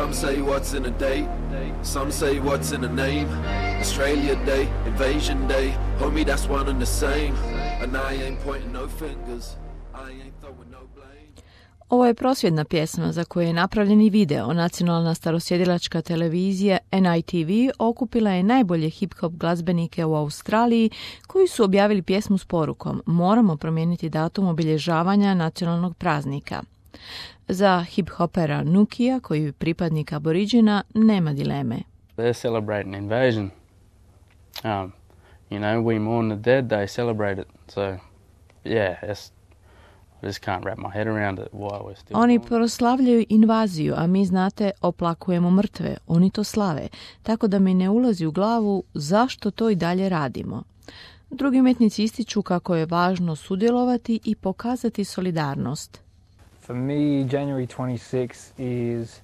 Some say what's in a date, some say what's in a name. Australia Day, Invasion Day, homie that's one and the same. And I ain't pointing no fingers, I ain't throwing no blame. Ovo je prosvjedna pjesma za koju je napravljen i video. Nacionalna starosjedilačka televizija NITV okupila je najbolje hip-hop glazbenike u Australiji koji su objavili pjesmu s porukom moramo promijeniti datum obilježavanja nacionalnog praznika. Za hip-hopera Nukija, koji je pripadnik Aboriđina, nema dileme. They're celebrating invasion. We mourn the dead, they celebrate it. So, yeah, I just can't wrap my head around it why we're still... Oni proslavljaju invaziju, a mi, znate, oplakujemo mrtve. Oni to slave. Tako da mi ne ulazi u glavu zašto to i dalje radimo. Drugi umjetnici ističu kako je važno sudjelovati i pokazati solidarnost. For me, January 26 is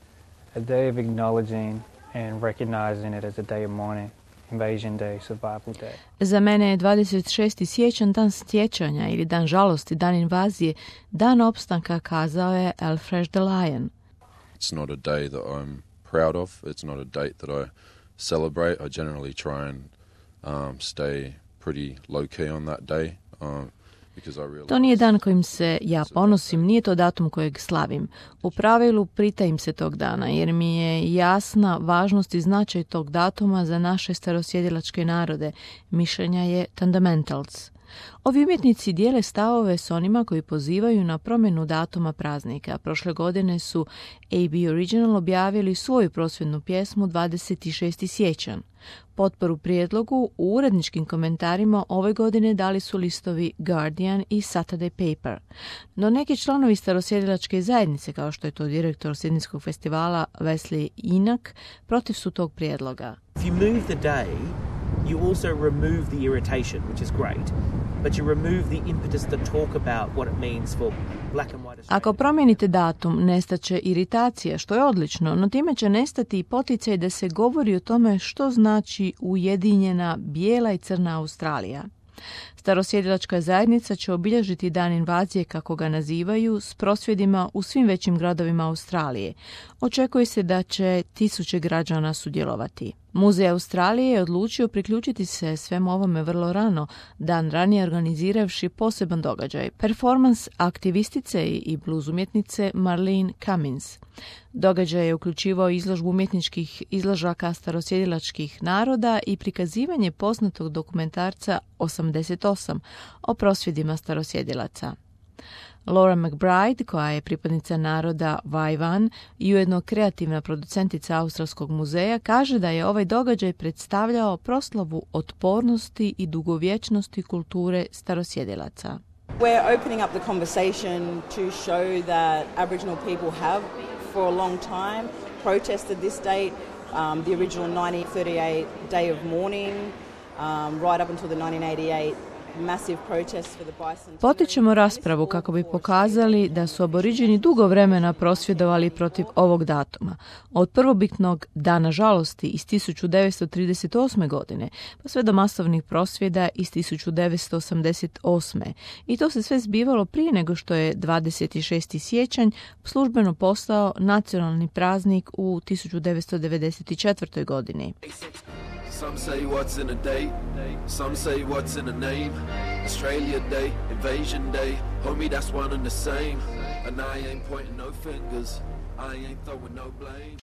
a day of acknowledging and recognizing it as a day of mourning. Invasion Day, Survival Day. Za mene je 26. siječanj dan sjećanja ili dan žalosti, dan invazije, dan opstanka, kazao je Alfred the Lion. It's not a day that I'm proud of. It's not a date that I celebrate. I generally try and stay pretty low key on that day. To nije dan kojim se ja ponosim, nije to datum kojeg slavim. U pravilu pritajim se tog dana jer mi je jasna važnost i značaj tog datuma za naše starosjedilačke narode, mišljenja je Fundamentals. Ovi umjetnici dijele stavove s onima koji pozivaju na promjenu datuma praznika. Prošle godine su AB Original objavili svoju prosvjednu pjesmu 26. siječanj. Potporu prijedlogu u uredničkim komentarima ove godine dali su listovi Guardian i Saturday Paper. No neki članovi starosjedilačke zajednice, kao što je to direktor Sidnijskog festivala Wesley Inak, protiv su tog prijedloga. If you move the day, you also remove the irritation, which is great. But you remove the impetus to talk about what it means for black and white Australia. Ako promijenite datum, nestaće iritacija, što je odlično, no time će nestati i poticaj da se govori o tome što znači ujedinjena bijela i crna Australija. Starosjedilačka zajednica će obilježiti dan invazije, kako ga nazivaju, s prosvjedima u svim većim gradovima Australije. Očekuje se da će 1000 građana sudjelovati. Muzej Australije je odlučio priključiti se svemu ovome vrlo rano, dan ranije organiziravši poseban događaj, performans aktivistice i blues umjetnice Marlene Cummins. Događaj je uključivao izložbu umjetničkih izložaka starosjedilačkih naroda i prikazivanje poznatog dokumentarca 88 o prosvjedima starosjedilaca. Laura McBride, koja je pripadnica naroda Waiwan i ujedno kreativna producentica Australskog muzeja, kaže da je ovaj događaj predstavljao proslavu otpornosti i dugovječnosti kulture starosjedilaca. We're opening up the conversation to show that Aboriginal people have for a long time protested this date, the original 1938 day of mourning, right up until the 1988 Potičemo raspravu kako bi pokazali da su Aboriđini dugo vremena prosvjedovali protiv ovog datuma. Od prvobitnog dana žalosti iz 1938. godine pa sve do masovnih prosvjeda iz 1988. I to se sve zbivalo prije nego što je 26. siječanj službeno postao nacionalni praznik u 1994. godini. Some say what's in a date, some say what's in a name. Australia Day, Invasion Day, homie that's one and the same. And I ain't pointing no fingers, I ain't throwing no blame.